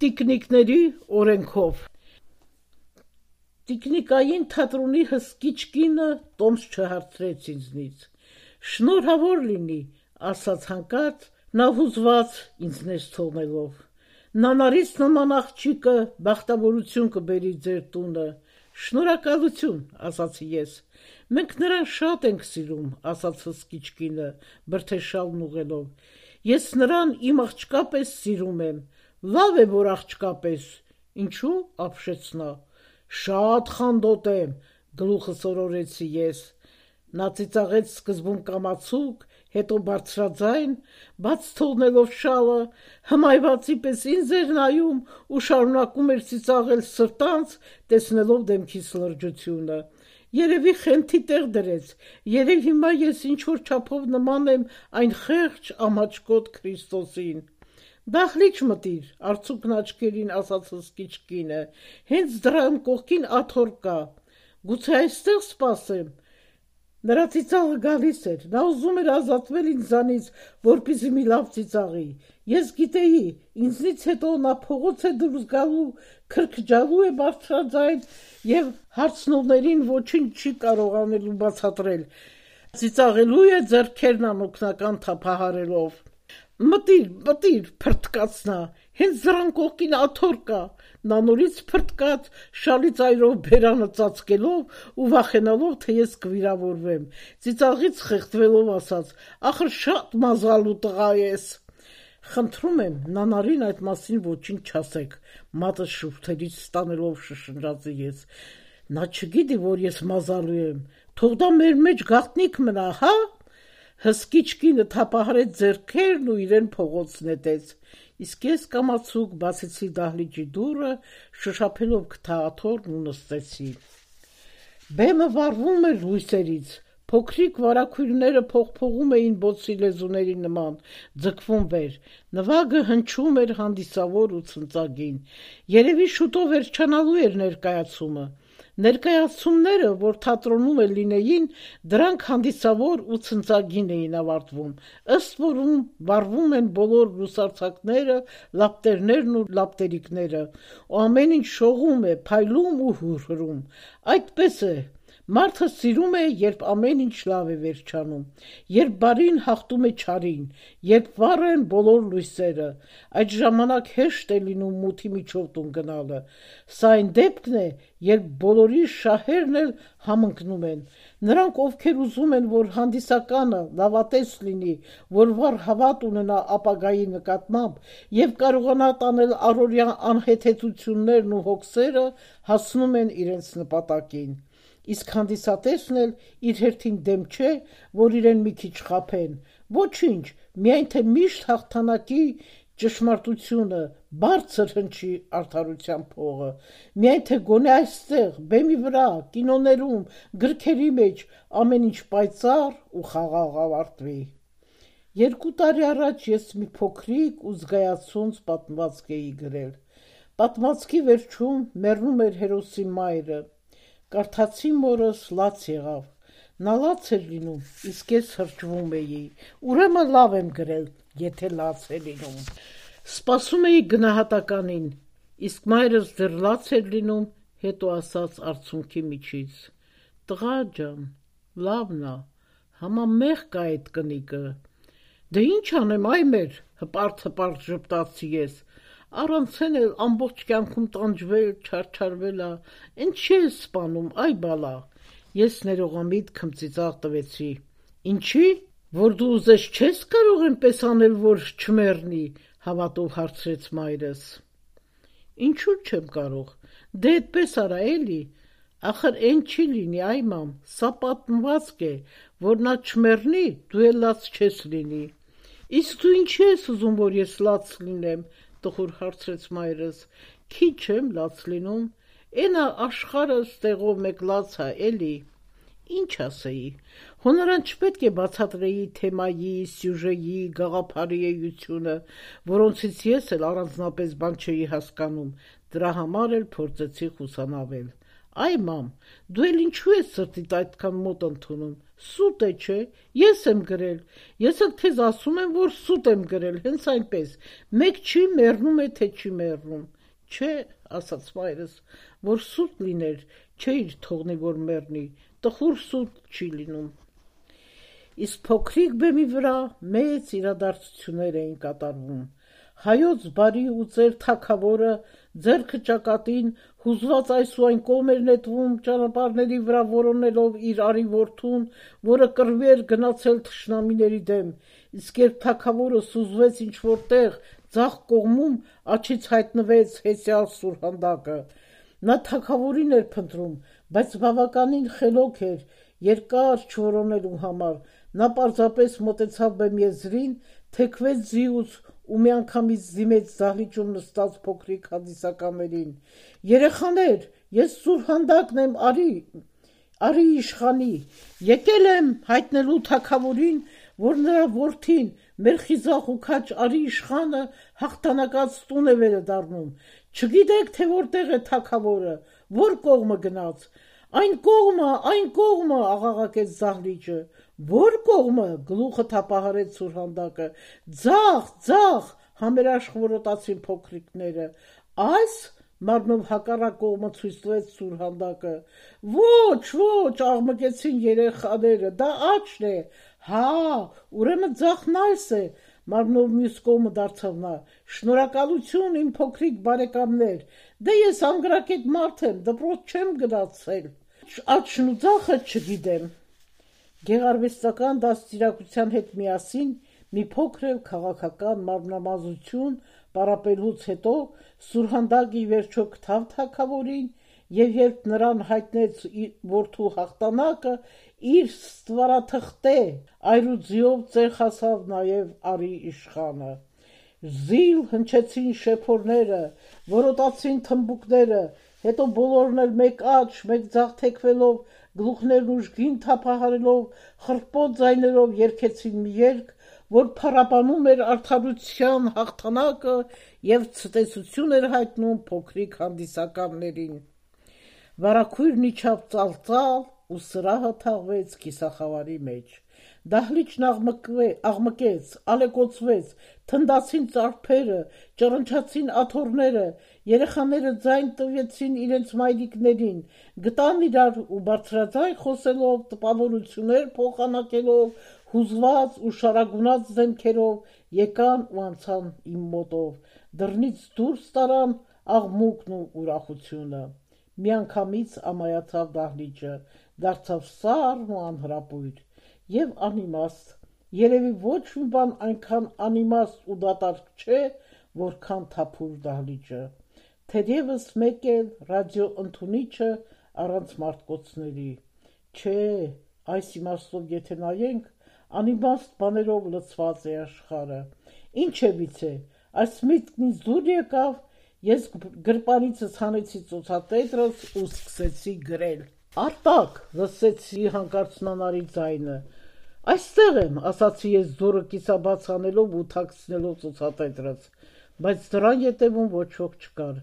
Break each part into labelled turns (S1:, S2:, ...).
S1: տիկնիկների օրենքով։ Տիկնիկային թատրոնի հսկիչ կինը տոմս չհարցրեց ինձնից։ Շնորհավոր լինի, ասաց հանկարծ, նա հուզված ինձ ներս թողնելով։ Նանարից նման աղջիկը բախտավորություն կբերի ձեր տունը։ Շնորհակալություն, ասացի ես։ Մենք նրան շատ ենք սիրում, ասաց հսկիչ կինը, բրդեշալն ուղղելով։ Ես նրան իմ աղջկա պես սիրում եմ։ Լավ է, որ աղջկա պես։ Ինչու՞, ապշեց նա։ Շատ խանդոտ եմ, գլուխը սորորեցի ես։ Նա ծիծաղեց սկզբում կամացուկ, հետո բարձրաձայն, բաց թողնելով շալը, հմայվածի պես ինձ էր նայում ու շարունակում էր ծիծաղել սրտանց, տեսնելով դեմքիս լրջությունը։ Երևի խենթի տեղ դրեց, երև հիմա ես ինչ-որ չափով նման եմ այն խեղճ ամաչկոտ Քրիստոսին։ Դահլիճ մտիր, արցուկն աչքերին ասաց հսկիչ կինը, հենց դրան կողքին աթոռ կա, գուցե այստեղ սպասեմ։ Նրա ծիծաղը գալիս էր, նա ուզում էր ազատվել ինձանից, որպեսզի մի լավ ծիծաղի։ Ես գիտեի, ինձնից հետո նա փողոց է դուրս գալու, քրքջալու է բարձրաձայն և հարցնողներին ոչինչ չի կարողանելու բացատրել։ Ծիծաղելու է ձեռքերն անօգնական թափահարելով։ Մտիր, փրթկաց նա, հենց դրան կողքին աթոռ կա։ Նա նորից փրթկաց, շալի ծայրով բերանը ծածկելով ու վախենալով, թե ես կվիրավորվեմ։ Ծիծաղից խեղդվելով ասաց. «Ախր շատ մազալու տղա ես»։ Խնդրում եմ, Նանարին այդ մասին ոչինչ չասեք, մատը շուրթերից ստանելով շշնջացի ես։ Նա չգիտի, որ ես մազալու եմ, թող դա մեր մեջ գաղտնիք մնա, հա։ Հսկիչ կինը թափահարեց ձեռքերն ու իրեն փողոց նետեց։ Իսկ ես կամացուկ բացեցի դահլիճի դուռը, շշափելով քթա աթոռն ու նստեցի։ Բեմը վառվում էր լույսերից, փոքրիկ վարագույրները փողփողում էին բոցի լեզուների նման, ձգվում վեր, նվագը հնչում էր հանդիսավոր ու ցնծագին։ Երևի շուտով վերջանալու էր ներկայացումը։ Ներկայացումները, որ թատրոնում լինեին, դրանք հանդիսավոր ու ցնծագին էին ավարտվում, ըստ որում վառվում են բոլոր լուսարձակները, լապտերներն ու լապտերիկները, ու ամեն ինչ շողում է, փայլում ու հուրհրում։ Այդպես է, մարդը սիրում է, երբ ամեն ինչ լավ է վերջանում, երբ բարին հաղթում է չարին, երբ վառ են բոլոր լույսերը, այդ ժամանակ հեշտ է լինում մութի միջով տուն գնալը։ Սա այն դեպքն է, երբ բոլորի շահերն էլ համընկնում են։ Նրանք, ովքեր ուզում են, որ հանդիսականը լավատես լինի, որ վառ հավատ ունենա ապագայի նկատմամբ և կարողանա տանել առօրյա անհեթեթություններն ու հոգսերը, հասնում են իրենց նպատակին։ Իսկ հանդիսատեսն էլ իր հերթին դեմ չէ, որ իրեն մի քիչ խաբեն։ Ոչինչ, միայն թե միշտ հաղթանակի ճշմարտությունը, բարձր հնչի արդարության փողը, միայն թե գոնե այստեղ, բեմի վրա, կինոներում, գրքերի մեջ ամեն ինչ պայծառ ու խաղաղ ավարտվի։ 2 տարի առաջ ես մի փոքրիկ ու զգայացած պատմվածք էի գրել։ Պատմվածքի վերջում մեռնում էր հերոսի մայրը։ Կարդացի մորս լաց եղավ։ Նա լաց էր լինում, իսկ ես հրճվում էի։ Ուրեմն լավ եմ գրել, եթե լաց է լինում։ Սպասում էի գնահատականին, իսկ մայրս դեռ լաց էր լինում, հետո ասաց արցունքի միջից. «Տղա ջան, լավն ա, համամեղ կա այդ կնիկը»։ Դե ինչ անեմ, այ մեր, հպարտ ժպտացի ես։ Առանցեն էլ ամբողջ կյանքում տանջվել, չարչարվել ա, ընդ չի ես սպանում, այ բալա։ Ես ներողամիտ քմծիծաղ տվեցի։ Ինչի՞, որ դու ուզես չես կարող այնպես անել, որ չմեռնի, հավատով հարցրեց մայրս։ Ինչու՞ չեմ կարող, դե այդպես արա էլի, ախր էն չի լինի, այ մամ, սա պատմվածք է, որ նա չմեռնի, դու էլ լաց չես լինի։ Իսկ դու ինչի ես ուզում, որ ես լաց լինեմ, տխուր հարցրեց մայրս։ Քիչ եմ լաց լինում, էնա աշխարհը ստեղով մեկ լաց ա, էլի։ Ինչ ասեի, հո նրան չպետք է բացատրեի թեմայի, սյուժեի, գաղափարի էությունը, որոնցից ես էլ առանձնապես բան չէի հասկանում, դրա համար էլ փորձեցի խուսանավել։ Այ մամ, դու էլ ինչու ես սրտիդ այդքան մոտ ընդունում, սուտ է չէ, ես եմ գրել, ես էլ թեզ ասում եմ, որ սուտ եմ գրել, հենց այնպես, մեկ չի մեռնում է, թե չի մեռնում, չէ, ասաց մայրս, որ սուտ լիներ, չէիր թողնի, որ մեռնի, տխուր սուտ չի լինում։ Իսկ փոքրիկ բեմի վրա մեծ իրադարձություններ էին կատարվում։ Հայոց բարի ու ծեր թագավորը ձեռքը ճակատին հուզված այս ու այն կողմ էր նետվում ճանապարհների վրա որոնելով իր արի որդուն, որը կռվի էր գնացել թշնամիների դեմ, իսկ երբ թագավորը սուզվեց ինչ-որ տեղ, ձախ կողմում աչից հայտնվեց հեսյալ սուրհանդակը։ Նա թագավորին էր փնտրում, բայց բավականին խելոք էր, երկար չորոնելու համար, նա պարզապես մոտեցավ բեմ եզրին, թեքվեց ձիուց ու միանգամից դիմեց դահլիճում նստած փոքրիկ հանդիսականներին. «Երեխաներ, ես Սուրհանդակն եմ արի իշխանի, եկել եմ հայտնելու թագավորին, որ նրա որդին, մեր խիզախ ու քաջ արի իշխանը հաղթանակած տուն է վերադառնում, չգիտեք, թե որտեղ է թագավորը, որ կողմը գնաց, այն կողմը, աղաղակեց դահլիճը, որ կողմը, գլուխը թափահարեց Սուրհանդակը, ձախ, համերաշխ որոտացին փոքրիկները, այս մարմնով հակառակ կողմը ցույց տվեց Սուրհանդակը, ոչ, աղմկեցին երեխաները, դա աչն է, հա, ուրեմն ձախն այս է, մարմնով մյուս կողմը դարձավ նա, շնորհակալություն իմ փոքրիկ բարեկամներ, դե ես անգրակետ մարդ եմ, դպրոց չեմ գնացել, աչն ու ձախը չգիտեմ։ Գեղարվեստական դաստիարակության հետ միասին մի փոքր քաղաքական մարմնամազություն պարապելուց հետո Սուրհանդակը ի վերջո գտավ թագավորին եւ երբ նրան հայտնեց որդու հաղթանակը, իր ստվարաթղթե այրուձիով ծեխացավ նաեւ արի իշխանը։ Զիլ հնչեցին շեփորները, որոտացին թմբուկները, հետո բոլորն էլ մեկ աչ, մեկ ձախ թեքվելով, գլուխներն ուժգին թափահարելով, խռպոտ ձայներով երգեցին մի երգ, որ փառաբանում էր արդարության հաղթանակը եւ ցտեսություն էր հայտնում փոքրիկ հանդիսականներին։ Վարագույրն իջավ ծալծալ ու սրահը թաղվեց կիսախավարի մեջ։ Դահլիճն աղմկեց, ալեկոծվեց, թնդացին ծարփերը, ճռնչացին աթոռները, երեխաները ձայն տվեցին իրենց մայրիկներին, գտան իրար ու բարձրաձայն խոսելով, տպավորություններ փոխանակելով, հուզված ու շարագունած դեմքերով եկան ու անցան իմ մոտով, դռնից դուրս տարան աղմուկն ու ուրախությունը։ Միանգամից ամայացավ դահլիճը, դարձավ սառն ու անհրապույր եւ անիմաստ, երևի ոչ մի բան այնքան անիմաստ ու դատարկ չէ, որքան թափուր դահլիճը, թերևս մեկ էլ ռադիոընդունիչը առանց մարտկոցների, չէ, այս իմաստով եթե նայենք, անիմաստ բաներով լցված է աշխարհը, ինչ է միցե, այս միտքն ինձ դուր եկավ, ես գրպանիցս հանեցի ծոցատետրս ու սկսեցի գրել։ Արտակ, լսեցի հանկարծ նանարի ձայնը, այստեղ եմ, ասացի ես դուռը կիսաբաց անելով ու թաքցնելով ծոցատետրս, բայց դրան ետևում ոչ ոք չկար,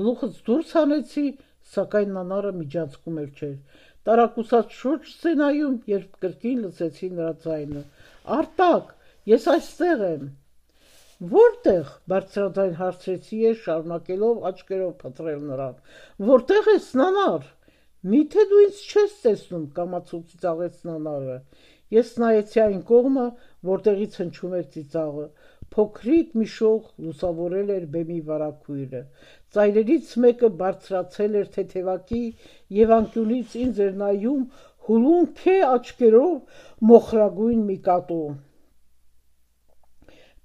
S1: գլուխս դուրս հանեցի, սակայն նանարը միջանցքում էր չէր, տարակուսած շուրջս է նայում, երբ կրկին լսեցի նրա ձայնը, Արտակ, ես այստեղ եմ։ Որտեղ, բարձրաձայն հարցրեցի ես, շարունակելով աչքերով փնտրել նրան, որտեղ ես նանար։ Միթե դու ինձ չես տեսնում, կամացուկ ծիծաղեց նանարը։ Ես նայեցի այն կողմը, որտեղից հնչում էր ծիծաղը։ Փոքրիկ մի շող լուսավորել էր բեմի վարագույրը։ Ծայրերից մեկը բարձրացել էր թեթևակի եւ անկյունից ինձ էր նայում հուլուն քե աչքերով մոխրագույն մի կատու։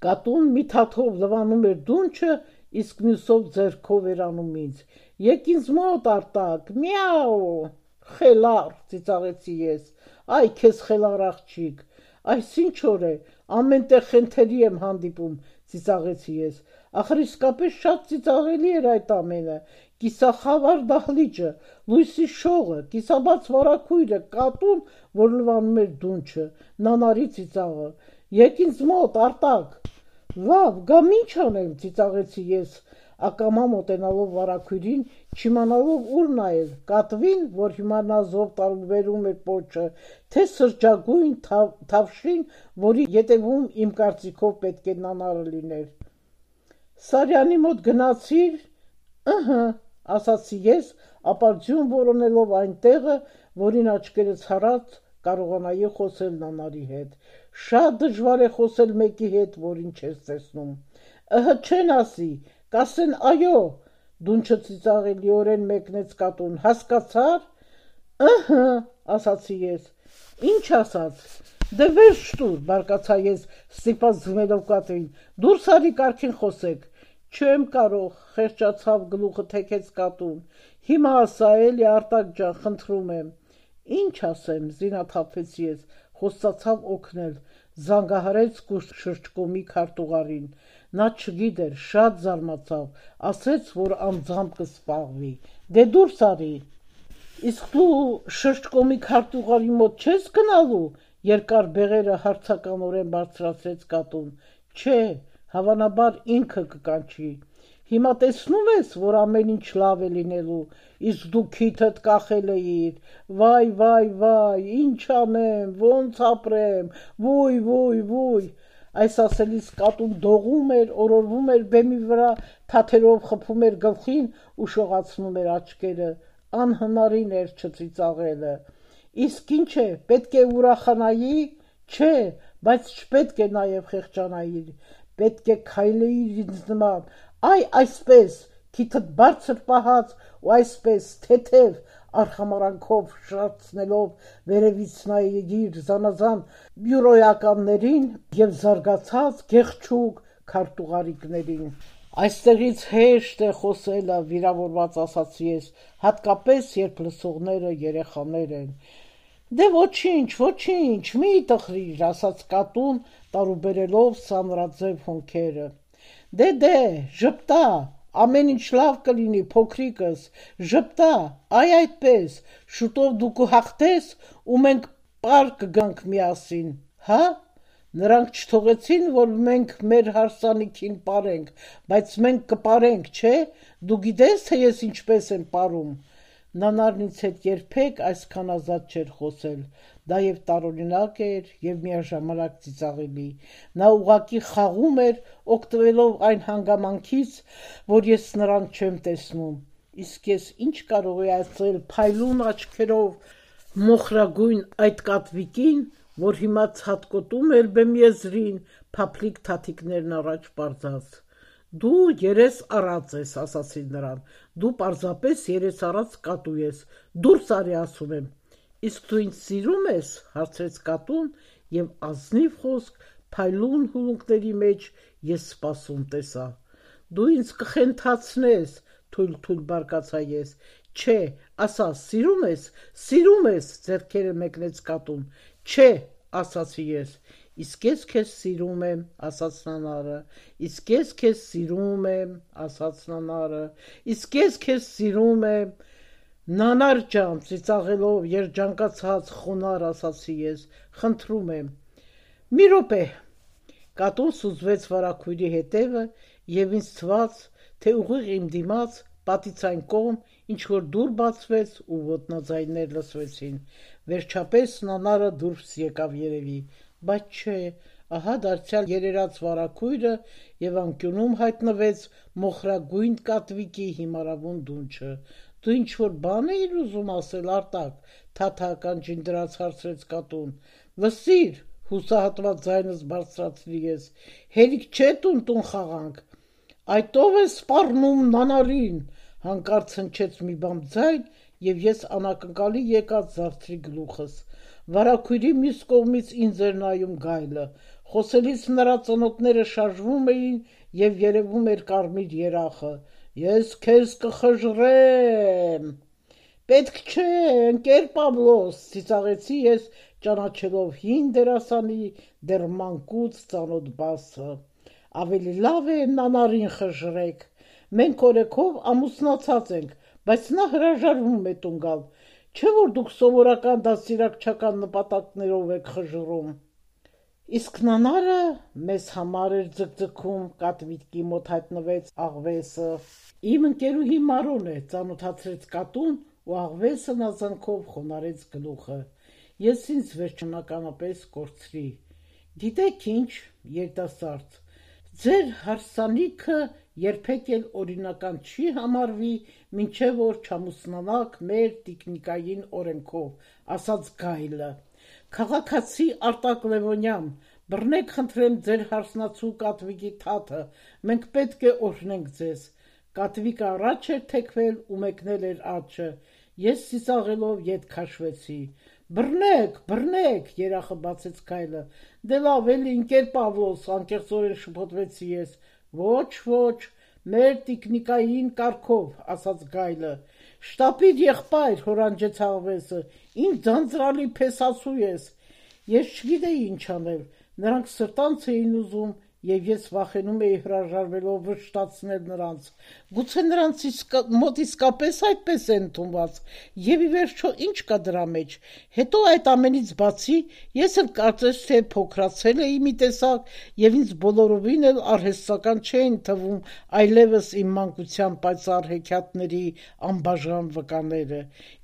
S1: Կատուն մի թաթով լվանում էր դունչը, իսկ մյուսով ձեռքով էր անում ինձ։ Եկ ինձ մոտ, Արտակ, միաու, խելառ, ծիծաղեցի ես, այ քեզ խելառ աղջիկ, այս ինչ օր է, ամեն տեղ խենթերի եմ հանդիպում, ծիծաղեցի ես, ախր իսկապես շատ ծիծաղելի էր այդ ամենը, կիսախավար դահլիճը, լույսի շողը, կիսաբաց վարագույրը, կատուն, որ լվանում էր դունչը, նանարի ծիծաղը, եկ ինձ մոտ, Արտակ, լավ, գամ ինչ անեմ, ծիծաղեցի ես, ակամա մոտենալով վարակույրին, չիմանալով ուր նայել, կատվին, որ հիմա նա զով տարուբերում էր պոչը, թե սրճագույն թավշին, որի ետևում իմ կարծիքով պետք է նանարը լիներ։ Սարյանի մոտ գնացիր, ասացի ես, ապարդյուն որոնելով այն տեղը, որին աչքերը ցարած կարողանայի խոսել նանարի հետ։ Շատ դժվար է խոսել մեկի հետ, որին չես տեսնում։ Չեն ասի, կասեն այո, դունչը ծիծաղելիորեն մեկնեց կատուն, հասկացար։ Ասացի ես։ Ինչ ասաց։ Դե վերջ տուր, բարկացա ես, ստիպած ձմելով կատին, դուրս արի կարգին խոսեք։ Չեմ կարող, խեղճացավ գլուխը թեքեց կատուն։ Հիմա ասա էլի Արտակ ջան, խնդրում եմ։ Ինչ ասեմ, զինաթափվեց ես, խոստացավ օգնել, զանգահարեց շրջկոմի քարտուղարին։ Նա չգիտեր, շատ զարմացավ, ասեց, որ անձամբ կսպաղվի։ Դե դուրս արի։ Իսկ դու շրջկոմի քարտուղարի մոտ չես գնալու, երկար բեղերը հարցականորեն բարձրացրեց կատուն։ Չէ, հավանաբար ինքը կկանչի։ Հիմա տեսնում ես, որ ամեն ինչ լավ է լինելու, իսկ դու քիթդ կախել էիր, վայ, ինչ անեմ, ոնց ապրեմ, վույ։ Այս ասելիս կատուն դողում էր, օրորվում էր բեմի վրա, թաթերով խփում էր գլխին ու շողացնում էր աչքերը, անհնարին էր չծիծաղելը։ Իսկ ինչ է, պետք է ուրախանայի, չէ, բայց չպետք է նաև խեղճանայի, պետք է քայլեիր ինձ նման, այսպես, քիթդ բարձր պահած ու այսպես թեթև արխամարանքով շրացնելով վերևից նայիր զանազան բյուրոյականներին և զարգացած գեղչուկ քարտուղարիկներին։ Այստեղից հեշտ է խոսելը, վիրավորված ասացի ես, հատկապես երբ լսողները երեխաներ են։ Դե ոչինչ, մի տխրիր, ասաց կատուն, տարուբերելով սանրաձև հոնքերը։ Դե, ժպտա, ամեն ինչ լավ կլինի, փոքրիկս, ժպտա, այդպես, շուտով դու կհաղթես ու մենք պար կգանք միասին, հա։ Նրանք չթողեցին, որ մենք մեր հարսանիքին պարենք, բայց մենք կպարենք, չէ, դու գիտես, թե ես ինչպես եմ պարում։ Նանարն ինձ հետ երբեք այսքան ազատ չէր խոսել, դա և տարօրինակ էր և միաժամանակ ծիծաղելի, նա ուղղակի խաղում էր, օգտվելով այն հանգամանքից, որ ես նրան չեմ տեսնում, իսկ ես ինչ կարող էի ասել փայլուն աչքերով մոխրագույն այդ կատվիկին, որ հիմա ցատկոտում էր բեմ եզրին, փափլիկ թաթիկներն առաջ պարզած։ Դու երես առած ես, ասացի նրան, դու պարզապես երես առած կատու ես, դուրս արի ասում եմ։ Իսկ դու ինձ սիրում ես, հարցրեց կատուն և ազնիվ խոսք փայլուն հուլունքների մեջ ես սպասում տեսա։ Դու ինձ կխենթացնես, թույլ բարկացա ես։ Չէ, ասա, սիրում ես, ձեռքերը մեկնեց կատուն։ Չէ, ասացի ես։ Իսկ ես քեզ սիրում եմ, ասաց նանարը։ Իսկ ես քեզ սիրում եմ, ասաց նանարը։ Իսկ ես քեզ սիրում եմ։ Նանար ջան, ծիծաղելով երջանկացած խոնարհ ասացի ես, խնդրում եմ։ Մի րոպե։ Կատուն սուզվեց վարագույրի հետևը և ինձ թվաց, թե ուղիղ իմ դիմաց, պատից այն կողմ, ինչ-որ դուռ բացվեց ու ոտնաձայներ լսվեցին։ Վերջապես նանարը դուրս եկավ երևի, բայց չէ, ահա դարձյալ երերած վարագույրը և անկյունում հայտնվեց մոխրագույն կատվիկի հիմարավուն դունչը։ Դու ինչ-որ բան էիր ուզում ասել, Արտակ, թաթական դրած հարցրեց կատուն։ Վսիր, հուսահատված ձայնս բարձրացրի ես, հերիք չէ տուն խաղանք։ Այդ ով է սպառնում նանարին, հանկարծ հնչեց մի բամբ ձայն և ես անակնկալի եկած զարդրի գլուխս։ Վարագույրի մյուս կողմից ինձ էր նայում գայլը, խոսելիս նրա ծնոտները շարժվում էին և երևում էր կարմիր երախը։ Ես քեզ կխժռեմ։ Պետք չէ, ընկեր Պավլոս, ծիծաղեցի ես, ճանաչելով հին դերասանի դեռ մանկուց ծանոթ բասը։ Ավելի լավ է նանարին խժռեք։ Մենք օրեքով ամուսնացած ենք, բայց նա հրաժարվում է տուն գալ, չէ՞ որ դուք սովորական դաստիարակչական նպատակներով եք խժռում։ Իսկ նանարը մեզ համար էր ձգձգում, կատվիկի մոտ հայտնվեց աղվեսը։ Իմ ընկերուհի Մարոն է, ծանոթացրեց կատուն ու աղվեսը նազանքով խոնարեց գլուխը։ Ես ինձ վերջնականապես կորցրի։ Գիտեք ինչ, երիտասարդ, ձեր հարսանիքը երբեք էլ օրինական չի համարվի, մինչև որ չամուսնանաք մեր տիկնիկային օրենքով, ասաց Գայլը։ Քաղաքացի Արտակ Լևոնյան, բռնեք խնդրեմ ձեր հարսնացու կատվիկի թաթը, մենք պետք է օրհնենք ձեզ։ Կատվիկը առաջ էր թեքվել ու մեկնել էր արջը։ Ես ծիծաղելով ետ քաշվեցի։ Բռնեք, երախը բացեց Գայլը։ Դե լավ էլի, ընկեր Պավլոս, անկեղծորեն շփոթվեցի ես։ Ոչ, մեր տիկնիկային կարգով, ասաց Գայլը։ Շտապիր եղբայր, հորանջեց աղվեսը, ինչ ձանձրալի փեսացու ես։ Ես չգիտեի ինչ անել, նրանք սրտանց էին ուզում, եւ ես վախենում էի հրաժարվելով վշտացնել նրանց։ Գուցե նրանց մոտ իսկապես այդպես է ընդունված, եւ ի վերջո ինչ կա դրա մեջ։ Հետո այդ ամենից բացի ես էլ կարծես թե փոքրացել էի մի տեսակ, եւ ինձ բոլորովին էլ արհեստական չէին թվում այլևս իմ մանկության պայծառ հեքիաթների անբաժան վկաները։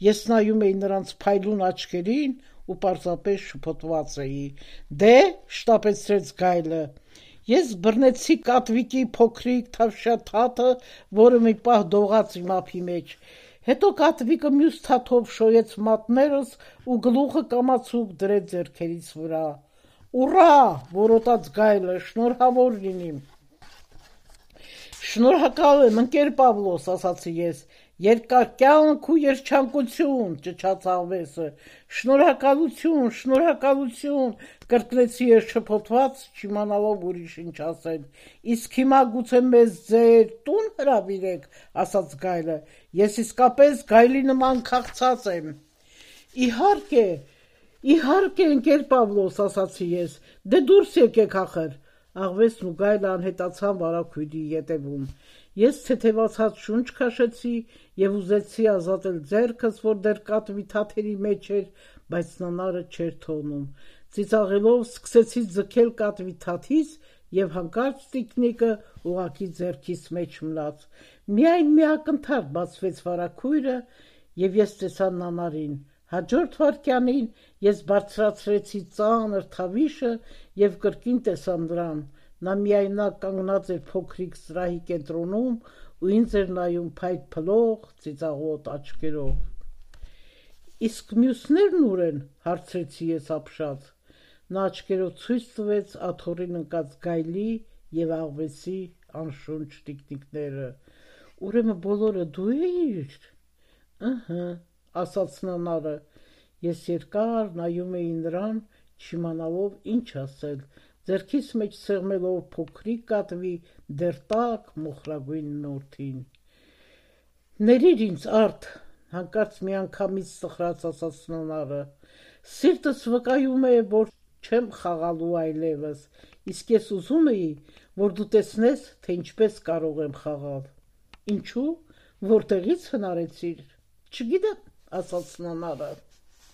S1: Ես նայում էի նրանց փայլուն աչքերին ու պարզապես շփոթված էի։ Դե, շտապեցրեց Գայլը, ես բռնեցի կատվիկի փոքրիկ թավշյա թաթը, որը մի պահ դողաց իմ ափի մեջ։ Հետո կատվիկը մյուս թաթով շոյեց մատներս ու գլուխը կամացուկ դրեց ձեռքերիս վրա։ Ուռա, որոտաց Գայլը, շնորհավոր լինիմ։ Շնորհակալ եմ, ընկեր Պավլոս, ասացի ես։ Երկար կյանք ու երջանկություն, ճչաց աղվեսը։ Շնորհակալություն, կրկնեցի ես շփոթված, չիմանալով ուրիշ ինչ ասել։ Իսկ հիմա գուցե մեզ ձեր տուն հրավիրեք, ասաց Գայլը։ Ես իսկապես Գայլի նման քաղցած եմ։ Իհարկե, ընկեր Պավլոս, ասացի ես։ Դե դուրս եկեք ախր։ Աղվեսն ու Գայլը անհետացան վարագույրի ետևում։ Ես թեթևացած շունչ քաշեցի եւ ուզեցի ազատել ձեռքս, որ դեռ կատվի թաթերի մեջ էր, բայց նանարը չէր թողնում։ Ծիծաղելով սկսեցի ձգել կատվի թաթից եւ հանկարծ տիկնիկը ուղակի ձեռքիս մեջ մնաց։ Միայն մի ակնթարթ բացվեց վարագույրը եւ ես տեսա նանարին։ Հաջորդ վայրկյանին ես բարձրացրեցի ծանր թավիշը եւ կրկին տեսա նրան։ Նա միայնակ կանգնած էր փոքրիկ սրահի կենտրոնում ու ինձ էր նայում փայտ փլող, ծիծաղոտ աչքերով։ Իսկ մյուսներն ուր են, հարցրեցի ես ապշած։ Նա աչքերով ցույց տվեց աթոռին ընկած Գայլի եւ աղվեսի անշունչ տիկնիկները։ Ուրեմն բոլորը դու էիր։ Ըհը, ասաց նանարը։ Ես երկար նայում էի նրան, չիմանալով ինչ ասել, ձեռքիս մեջ սեղմելով փոքրիկ կատվի դեռ տաք մոխրագույն նորթին։ Ներիր ինձ, Արդ, հանկարծ միանգամից սխրած ասաց նանարը։ Սիրտս վկայում է, որ չեմ խաղալու այլևս, իսկ ես ուզում էի, որ դու տեսնես, թե ինչպես կարող եմ խաղալ։ Ինչու՞, որտեղից հնարեցիր։ Չգիտեմ, ասաց նանարը։